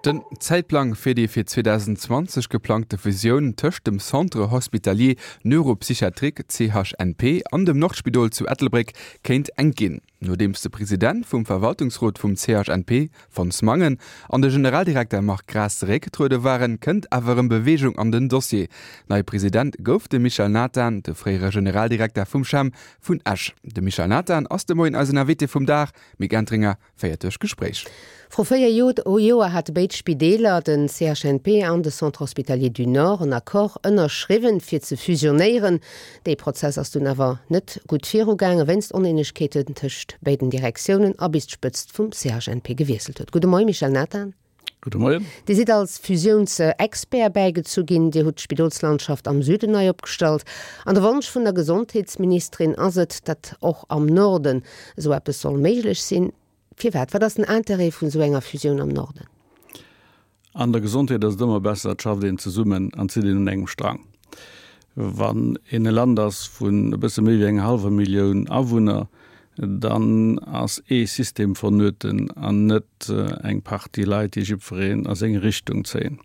Den Zäitplang fir déi fir 2020 geplangte Fusioun tëscht dem Centre hospitalier neuropsychiatrique, CHNP, an dem Nordspidol zu Ettelbréck kéint enk ginn. Nodeems de President vum Verwaltungsrot vum CHNP, Fons Mangen, an de Generaldirekter Marc Graas zeréckgetruede waren, kënnt awer erëm Beweegung an den Dossier. Neie President gouf de Michel Nathan, de fréiere Generaldirekter vum CHEM vun Esch. De Michel Nathan ass de Moien eisen Invité vum Dag. Mick Entringer féiert duerch d'Gespréich. Vru 4 Joer hate béid Spideeler, den CHNP an de Centre Hospitalier du Nord, en Accord ënnerschriwwen, fir ze fusionéieren. Dee Prozess ass dunn awer net gutt virugaangen, wéinst Oneenegkeeten tëscht béiden Direktiounen a bis d'Spëtzt vum CHNP gewiesselt huet. Gudde Moie Michel Nathan. Gudde Moien. Dir sidd als Fusiounsexpert bäigezu ginn. Dir hutt d'Spidolslandschaft am Süden nei opgestallt. An de Wonsch vun der Gesondheetsministerin ass et, datt och am Norden esou eppes soll méiglech sinn. Firwat? Wat ass den Interêt vun esou enger Fusioun am Norden? An der Gesondheet ass et ëmmer besser, et schafft een zesummen an zitt een un engem Strang. Wann een e Land ass vun e bësse méi wéi enger hallwer Millioun Awunner, dann ass ee System vonnöten an net eng Partie Leit, déi jiddwereen a seng Richtung zéien.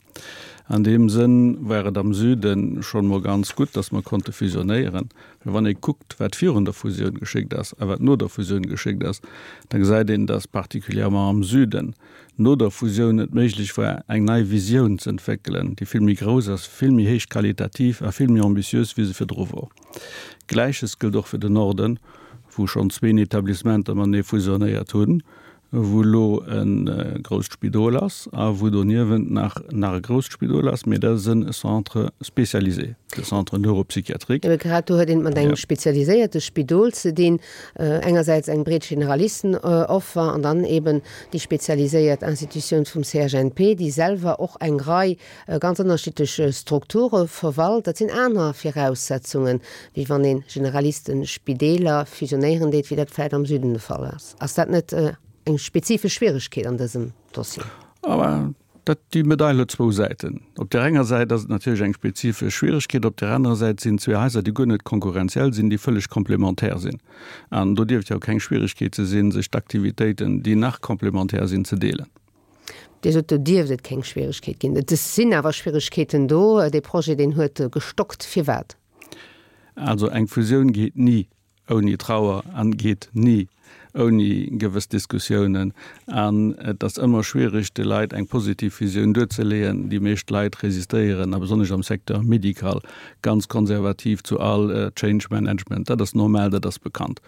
An deem Sënn war et am Süde schonn emol ganz gutt, datt mer konnte fusionéieren, well wann ee kuckt, wat virun der Fusioun geschéckt ass a wat no der Fusioun geschéckt ass, da gesäit een, datt particulièrement am Süden no der Fusioun et méiglech war, eng nei Visioun ze entwéckelen, déi vill méi grouss ass, vill méi héich qualitativ a vill méi ambitiös, wéi se virdru wor. Gläiches gëllt och fir den Norden, wou schonn zween Etablissementer matenee fusionéiert hunn, wou elo e grousst Spidol ass a wou doniewent nach nach e grousst Spidol ass, mee dat ass e Centre spécialisé, de Centre neuropsychiatrique. Ebe grad do huet een et mat engem spezialiséierte Spidol ze dinn, engersäits eng breet Generalistenoffer an dann eben déi spezialiséiert Institutioun vum CHNP, déi selwer och eng Rei ganz ënnerschiddlech Strukture verwalt. Dat sinn aner Viraussetzungen, wéi wann ee Generalistespideeler fusionéieren deet, wéi dat vläicht am Süden de Fall ass. Ass dat net eng spezifesch Schwieregkeet an dësem Dossier? Dat, déi Medail huet zwou Säiten. Op där enger Säit ass et natierlech eng spezifesch Schwieregkeet, op där anerer Säit sinn et zwee Haiser, déi guer net konkurrenziell sinn, déi vëlleg komplementär sinn. An do dierft jo keng Schwieregkeet ze sinn, sech d'Aktivitéiten, déi nach komplementär sinn, ze deelen. Dir sot, do dierft et keng Schwieregkeet ginn. Et sinn awer Schwieregkeeten do. Dee Projet, deen huet gestockt. Firwat? Also eng Fusioun geet ni ouni Trauer an geet ni ouni gewëss Diskussiounen. An et ass ëmmer schwierig, de Leit eng positiv Visioun duerzeleeën. Déi meescht Leit resistéieren, a besonnesch am Secteur médical, ganz konservativ zu all Change Management. Dat ass normal, dat ass bekannt.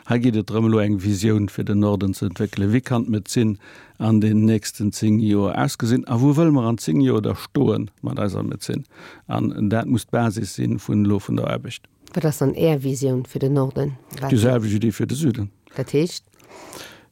Hei geet et drëm, elo eng Visioun fir den Norden ze entwéckelen. Wéi kann d'Medezin an den nächsten 10 Joer ausgesinn a wou wëlle mer an 10 Joer da stoe mat eiser Medezin? An dat muss d'Basis si vun elo vun der Aarbecht. Wat ass dann Är Visioun fir den Norden? Déi selwecht wéi déi fir de Süden. Dat heescht?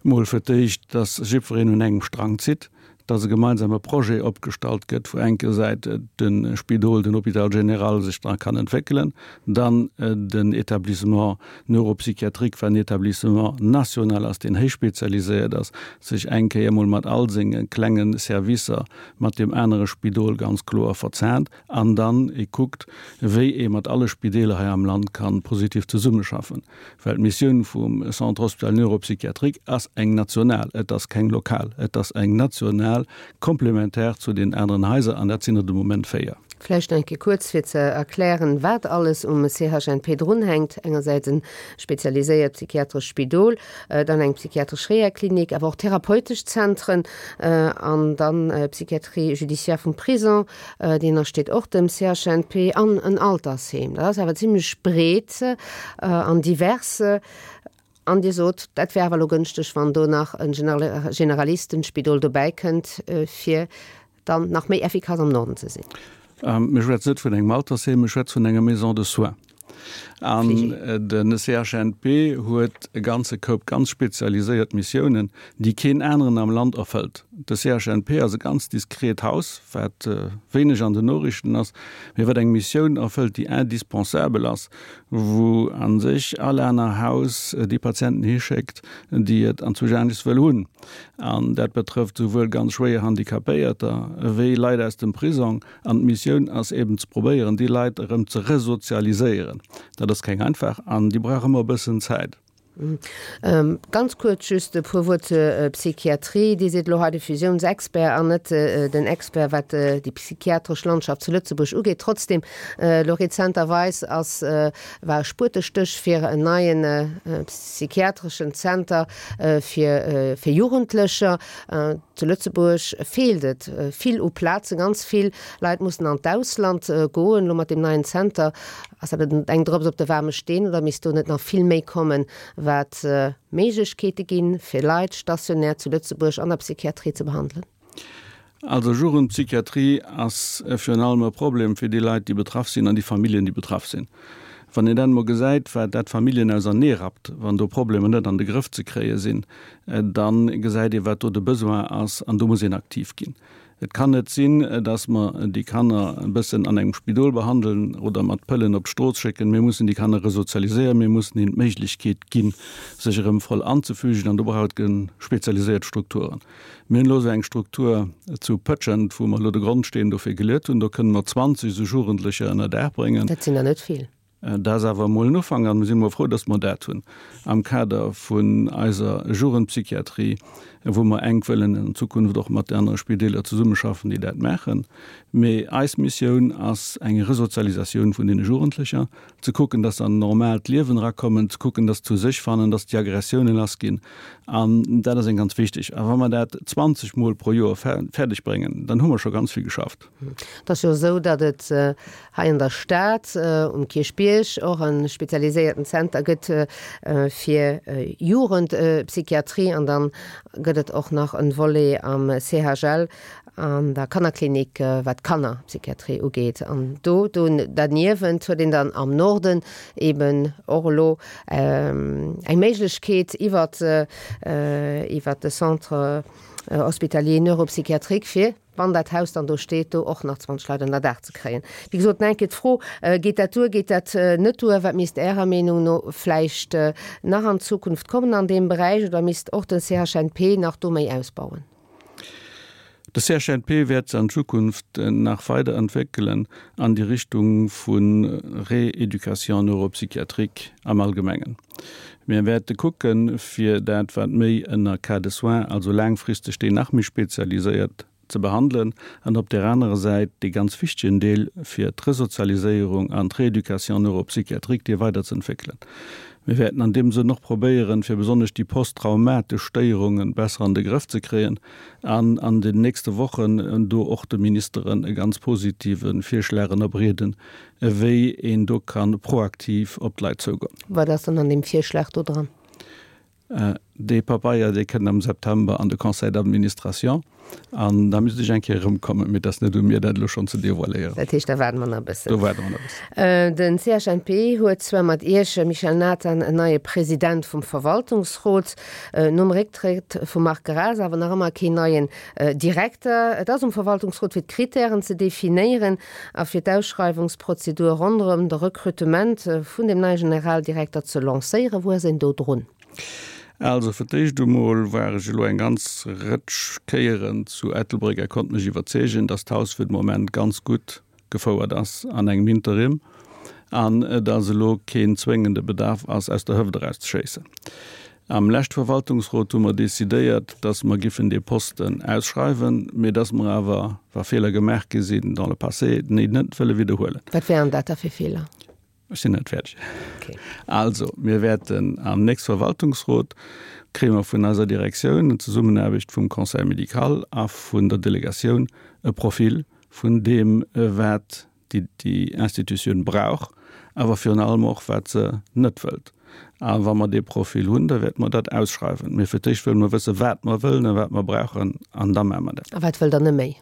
Mol fir d'éischt, datt jiddwereen un engem Strang zitt, datt e gemeinsame Projet opgestallt gëtt, wou enkersäit de Spidol, den Hôpital général sech dra kann entwéckelen, dann den Établissement neuropsychiatrique, wat en Établissement national ass, deen héich spezialiséiert ass, sech eng Kéier emol mat all senge klenge Servicer mat deem anere Spidol ganz kloer verzahnt. An dann ee kuckt, wéi ee mat alle Spideeler hei am Land ka positiv zesummeschaffen. Well d'Missioun vum Centre hospitalier neuropsychiatrique ass eng national, et ass keng lokal, et ass eng national, komplementär zu den aneren Haiser, an dat sinn der de Moment 4. Vläicht nach eng Kéier kuerz, fir ze erklären, wat alles um CHNP drunhänkt, Engersäits e spezialiséiert psychiatrescht Spidol, dann eng psychiatresch Rehaklinik, awer och therapeutesch Zentren an dann d'Psychiatrie judiciaire vum Prison, Deen ënnersteet och dem CHNP an en Altersheem. Dat ass awer zimlech breet an divers. An Dir sot, dat wär awer elo gënschteg, wann do nach e Generalistenspidol dobäi kënnt, fir dann nach méi effikass am Norden ze sinn. Mir schwätzen net vun engem Altersheem, mir schwätzen vun enger Maison de soins. An de CHNP huet e ganze Koup ganz spezialiséiert Missiounen, déi keen aneren am Land erfëllt. De CHNP ass e ganz diskret Haus, wat wéineg an den Noriichten ass, mee wat eng Missioun erfëllt, déi indispensabel ass, wou a sech all aner Haus déi Patienten hischéckt, déi et anzwousch anescht wëll hunn. An dat betrëfft souwuel ganz schwéier Handicapéierter wéi Leit aus dem Prisong. An d'Missioun ass eben ze probéieren, déi Leit erëm ze resozialiséieren. Dat ass keng einfach an déi brauch ëmmer e bëssen Zäit. Ganz kuerz just e puer Wuert zur Psychiatrie. Dir sidd elo hei de Fusiounsexpert an net den Expert, wat déi psychiatresch Landschaft zu Lëtzebuerg ugeet. Trotzdem, elo rezenterweis ass, war e Spuetestéch fir en neien psychiatreschen Zenter fir fir Jugendlecher. Zu Lëtzebuerg feelt et vill u Plazen, ganz vill Leit mussen an d'Ausland goen. Elo mat deem neien Zenter, ass dat eng Drëps op de waarme Steen oder misst do net nach vill méi kommen, wat Méiglechkeete ginn, fir Leit stationär zu Lëtzebuerg an der Psychiatrie ze behandelen? Also Jugendpsychiatrie ass virun allem e Problem fir déi Leit, déi betraff sinn an déi Familljen, déi betraff sinn. Wann een dann emol gesäit, wat dat d'Familljen auserneerappt, wann do Problemer net an de Grëff ze kréie sinn, da gesäit ee wat do de Besoin ass an do muss een aktiv ginn. Et kann net sinn, dass mer déi Kanner e bëssen an engem Spidol behandeln oder mat Pëllen op d'Strooss schécken. Mir mussen déi Kanner resozialiséieren, mir mussen hinnen d'Méiglechkeet ginn, sech erëm voll anzefügen an do brauch et spezialiséiert Strukturen. Mir hunn elo esou eng Struktur zu Pëtschent, wou mer elo de Grondsteen dofir geluet hunn. Do kënne mer 20 esou Jugendlecher ënner Daach bréngen. Dat sinn der net vill. Dat ass awer emol en Ufank an mir sinn emol frou, dass mer dat hunn am Kader vun eiser Jugendpsychiatrie, wou mer enk wëllen an Zukunft och mat de anere Spideeler zesummeschaffen, déi dat maachen. Mee eis Missioun ass eng Resozialisatioun vun deene Jugendlecher. ze kucken, dass se an en normaalt Liewen erakommen, ze kucken, dass se zu sech fannen, dass déi Aggressiounen lass ginn. An dat ass eng ganz wichteg. A wa mer dat 20 Mol pro Joer fäerdeg bréngen, dann hu mer scho ganz vill geschafft. Et ass jo esou, datt et hei an der Stad um Kierchbierg och e spezialiséierten Zenter gëtt fir Jugendpsychiatrie an dann gëtt et och nach e Volet am CHL an der Kannerklinik, wat d'Kannerpsychiatrie ugeet. An do derniewent huet een dann am Norden eben och elo eng Méiglechkeet iwwert iwwert de Centre hospitalier neuropsychiatrique, fir, wann dat Haus dann do steet, do och nach 20 Leit ënner Daach ze kréien. Wéi gesot, nach eng Kéier d'Fro, Geet dat duer, geet dat net duer? Wat misst Ärer Meenung no vläicht nach an Zukunft kommen an deem Beräich oder misst och den CHNP nach do méi ausbauen? De CHNP wäert se an Zukunft nach weider entwéckelen an déi Richtung vu Rééducation neuropsychiatrique am Allgemengen. Mir wäerte kucken, fir dat, wat méi ënner Cas de soins, also laangfristeg, déi nach méi spezialiséiert ze behandelen an op där anerer Säit dee ganz wichtegen Deel fir d'Resozialiséierung an d'Rééducation neuropsychiatrique, déi weiderzeentwéckelen. Mir wäerten an deem Sënn och probéieren, fir besonnesch déi posttraumatesch Stéierunge besser an de Grëff ze kréien an an den nächste Wochen do och de Ministeren e ganz positive Virschlag ënnerbreeden, wéi een do ka proaktiv op d'Leit zougoen. Wat ass dann an deem Virschlag do dran? Dee Pabeier, dee kënnt am September an de Conseil d'administration an da misst ech eng Kéier erëmkommen, mee et ass net u mir, dat elo schonn ze devoiléieren. Dat heescht, da waarde mer nach e bëssen. Do waarde mer nach e bëssen. Den CHNP huet zwar mat Iech, Michel Nathan, en neie President vum Verwaltungsrot, nom Récktrëtt vum Marc Graas awer nach ëmmer keen neien Direkter. Et ass um Verwaltungsrot fir d'Kritären ze definéieren a fir d'Ausschreiwungsprozedur ronderëm de Rekrutement vun dem neie Generaldirekter ze lancéieren. Wou ass een do drun? Also fir d'éischt emol war ech elo eng ganz Rëtsch Kéieren zu Ettelbréck a konnt mech iwwerzeegen, dass d'Haus fir de Moment ganz gutt gefouert ass an engem Interim an dass elo keen zwéngende Bedarf ass, aus der Hëft eraus ze schéissen. Am leschte Verwaltungsrot hu mer decidéiert, dass mer giffen dee Posten ausschreiwen, mee dass mer awer, wa Feeler gemaach gi sinn dans le passé, déi net wëlle widderhuelen. Wat wären dat da fir Feeler? Ech sinn net fäerdeg. Also, mir wäerten am nächste Verwaltungsrot, kréie mer vun eiser Direktioun an Zesummenaarbecht vum Conseil médical a vun der Delegatioun e Profil vun deem, wat déi Institutioun brauch, awer virun allem och, wat se net wëllt. A wa mer dee Profil hunn, da wäerte mer dat ausschreiwen. Mee fir d'éischt wëlle mer wëssen, wat mer wëllen a wat mer brauchen, an da maache mer dat. A wat wëllt Der net méi?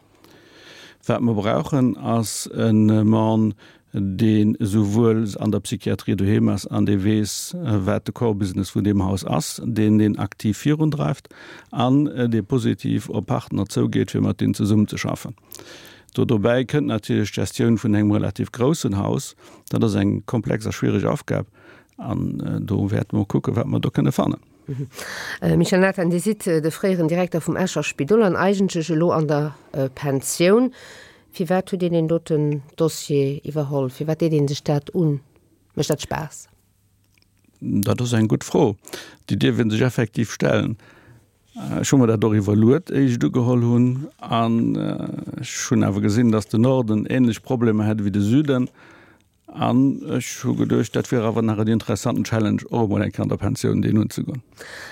Wat mer brauchen, ass e Mann, dee souwuel an der Psychiatrie doheem ass an dee weess, wat de Core Business vun deem Haus ass, deen deen aktiv virundreift an dee positiv op Partner zougeet, fir mat deenen zesummenzeschaffen. Do dobäi kënnt natierlech d'Gestioun vun engem relativ groussen Haus. Dat ass eng komplex a schwiereg Aufgab an do wäerte mer kucken, wat mer do kënne fannen. Michel Nathan, Dir sidd de fréieren Direkter vum Escher Spidol an eigentlech elo an der Pensioun. Firwat hutt Dir deen doten Dossier iwwerholl? Firwat deet ee sech dat un? Mécht dat Spaass? Dat ass eng gutt Fro. Déi dierf ee sech effektiv stellen. Ech hu mer dat och iwwerluet, éi ech et ugeholl hunn. An ech hunn awer gesinn, datt den Norden ähnlech Problemer hätt ewéi de Süden. An ech hu geduecht, dat wier awer nach en interessanten Challenge, och emol eng Kéier an der Pensioun deen unzegoen.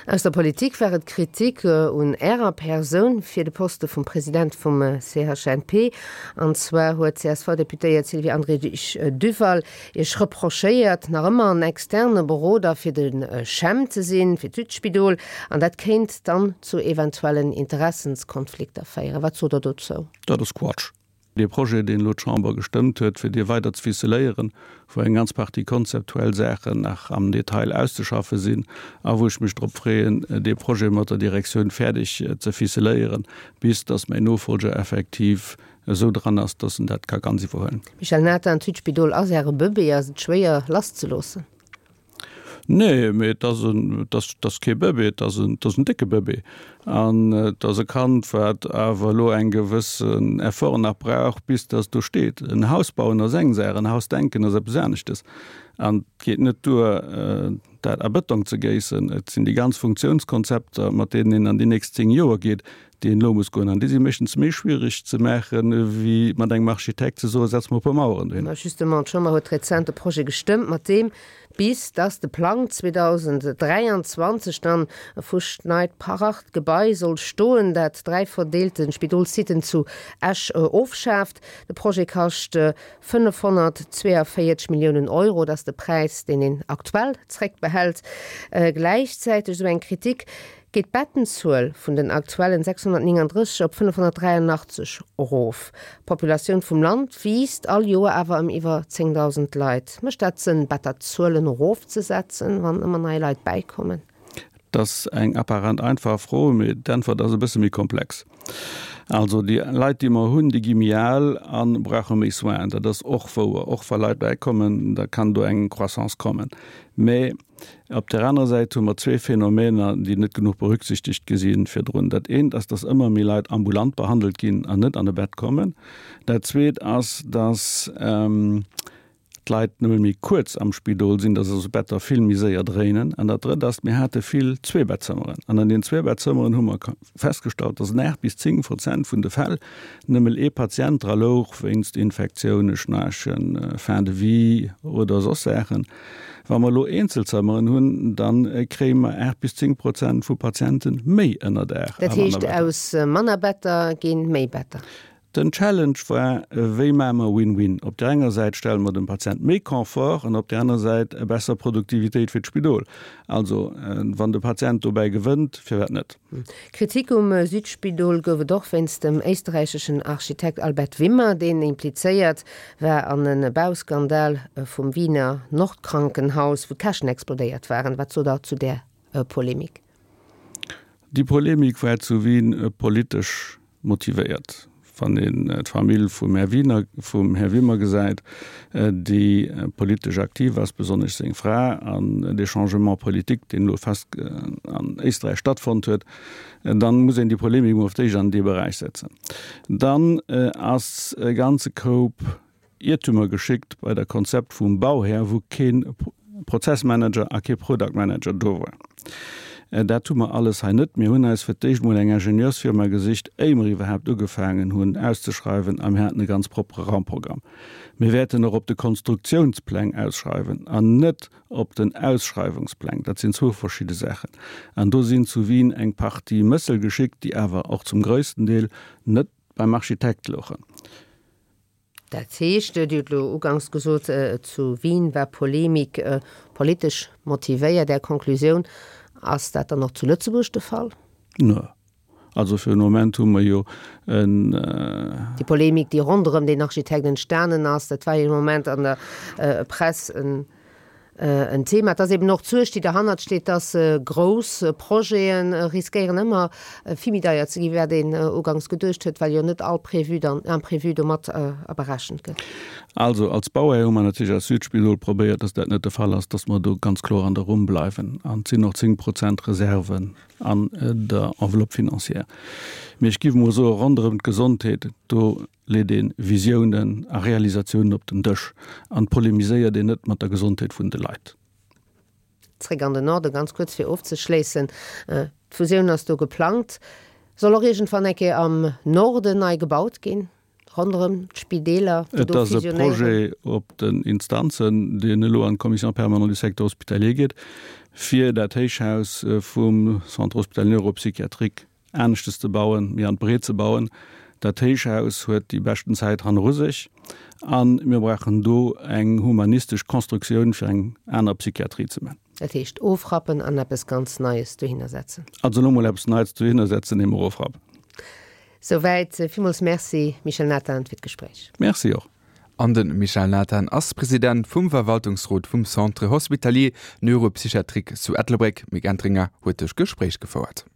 Aus der Politik war et Kritik un Ärer Persoun fir de Poste vum President vum CHNP. An zwar huet d'CSV-Deputéiert Sylvie Andrich-Duval Iech reprochéiert, nach ëmmer en externe Beroder fir de CHEM ze sinn, fir d'Südspidol, an dat kéint dann zu eventuellen Interessenskonflikter féieren. Wat sot Der dozou? Dat ass Quatsch. Dee Projet, deen elo d'Chamber gestëmmt huet, fir dee weider ze ficeléieren, wou eng ganz Partie konzeptuell Saachen nach am Detail auszeschaffe sinn a wou ech mech drop freeën, dee Projet mat der Direktioun fäerdeg ze ficeléieren, bis datt mäin Nofolger effektiv esou dran ass, datt en dat ka ganz iwwerhuelen. Michel Nathan, D'Südspidol ass Äre Bëbee. Ass et schwéier lasszeloossen? Nee, mee et ass en, et ass, et ass kee Bëbee, et ass en, et ass en décke Bëbee. An et ass e Kand, wat awer elo eng gewëssen Effort nach brauch, bis dass do steet. En Haus bauen ass eng Saach, en Haus denken ass eppes aneschtes. An et geet net duer, dat a Bëtong ze géissen. Et sinn déi ganz Funktiounskonzepter, mat deenen een an déi nächst 10 Joer geet, déi een elo muss goen. An déi si meeschtens méi schwierig ze maachen, wéi mat engem Architekt ze soen, setz mer e puer Maueren dohin. Mä justement, d'Chamber huet rezent e Projet gestëmmt, mat deem, bis dass de Plang 2023 dann e fuschneit Parart Gebai soll stoen, dat 3 verdeelte Spidolssiten zu Esch ofschaaft. De Projet kascht 542 Milliounen Euro, dat ass de Präis, deen een aktuell zréckbehält. Gläichzäiteg, esou eng Kritik, geet d'Bettenzuel vun den aktuellen 639 op 583 erof. D'Populatioun vum Land wiisst all Joer awer ëm iwwer 10.000 Leit. Mécht dat Sënn, Betterzuelen erofzesetzen, wann ëmmer nei Leit bäikommen? Dat ass eng apparent einfach Fro, mee d'Äntwert ass e bësse méi komplex. Also déi Leit, déi mer hunn, déi gi méi al a brauche méi Soinen. Dat ass och wouer. Och wa Leit bäikommen, da kann do eng Croissance kommen. Mee Op där anerer Säit hu mer zwee Phänomener, déi net genuch berücksichtegt gi si virdrun. Dat eent ass, dass ëmmer méi Leit ambulant behandelt ginn an net an e Bett kommen. Dat zweet ass, dass d'Leit nëmme méi kuerz am Spidol sinn, dass also d'Better vill méi séier dréinen. An dat drëtt ass, mir hate vill Zweebettzëmmeren. An an den Zweebettzëmmeren hu mer festgestallt, dass an 8 bis 10 Prozent vun de Fäll nëmmel ee Patient dra louch wéinst Infektiounen, Schnaarchen, Fin de vie oder soss Saachen. Wa mer elo Eenzelzëmmeren hunn, da kréie mer 8 bis 10 Prozent vu Patiente méi ënnerdaach. Dat heescht, aus manner Better gi méi Better? Den Challenge war, Wéi maache mer Win-win? Op där enger Säit stelle mer dem Patient méi Confort an op där aner Säit e besser Produktivitéit fir d'Spidol. Also, wann de Patient dobäi gewënnt, firwat net? Kritik um Südspidol gouf et och wéinst dem éisträicheschen Architekt Albert Wimmer, deen implizéiert war an e Bauskandal vum Wiener Nordkrankenhaus, wou d'Käschten explodéiert waren. Wat sot Der zu där Polemik? Déi Polemik war zu Wien politesch motivéiert. Wann een d'Famill vum Här Wiener, vum Här Wimmer gesäit, déi politesch aktiv ass, besonnesch seng Fra, an dee Changement politique, deen elo fest an Éisträich stattfonnt huet, dann muss een déi Polemik emol op d'éischt an dee Beräich setzen. Dann ass e ganze Koup Iertumer geschickt bei der Konzept vum Bauhär, wou kee Prozessmanager a kee Product Manager do war. Dat hu mer alles hei net. Mir hunn eis fir d'éischt emol eng Ingenieursfirma gesicht, éier mer iwwerhaapt ugefaangen hunn auszeschreiwen, a mir haten e ganz propere Raumprogramm. Mir wäerten och op de Konstruktiounspläng ausschreiwen an net op den Ausschreiwungspläng. Dat sinn zwou verschidde Saachen. An do sinn zu Wien eng Partie Mëssel geschickt, déi awer och zum grössten Deel net beim Architekt louchen. Dat heescht, Dir hutt elo uganks gesot, zu Wien war Polemik politesch motivéiert. Är Konklusioun, Ass dat dann och zu Lëtzebuerg de Fall? Nö. Also fir den Moment hu mer jo en. Déi Polemik, déi ronderëm deen Architekt entstanen ass, dat war jo e Moment an der Press en En Thema. Et ass eben och d'Suerg, déi derhannert steet, dass grouss Projete riskéieren ëmmer vill méi deier ze ginn, wéi wat een uganks geduecht huet, well jo net all Prévu dann, Imprévu do mat aberechent gëtt. Also als Bauhär hu mer natierlech als Südspidol probéiert, dass dat net de Fall ass, dass mer do ganz kloer an der Rumm bleiwen. An et sinn och 10 Prozent Reserven an der Enveloppe financière. Mee ech géif emol soen, ronderëm d'Gesondheet, do leet ee Visiounen a Realisatiounen op den Dësch an polemiséiert een net mat der Gesondheet vun de Leit. Zréck an den Norden, ganz kuerz fir ofzeschléissen, D'Fusioun ass do geplangt, soll och iergendwann eng Kéier am Norden nei gebaut ginn, ronderëm d'Spideeler, déi do fusionéieren. Et ass e Projet op den Instanzen, deen elo an d'Commission permanente du secteur hospitalier geet, fir dat Héichhaus vum Centre hospitalier neuropsychiatrique aneschtes ze bauen, méi an d'Breet ze bauen. Dat Héichhaus huet déi beschten Zäit hanneru sech a mir brauchen do eng humanistesch Constructioun, fir eng aner Psychiatrie ze man. Dat heescht ofrappen an eppes ganz Neies dohinner setzen. Also elo mol eppes Neits dohinner setzen, ier mer ofrappen. Souwäit. Villmools Merci, Michel Nathan, fir d'Gespréich. Merci och. An de Michel Nathan ass President vum Verwaltungsrot vum Centre Hospitalier Neuropsychiatrique zu Ettelbréck. D'Mick Entringer huet de Gespréich gefouert.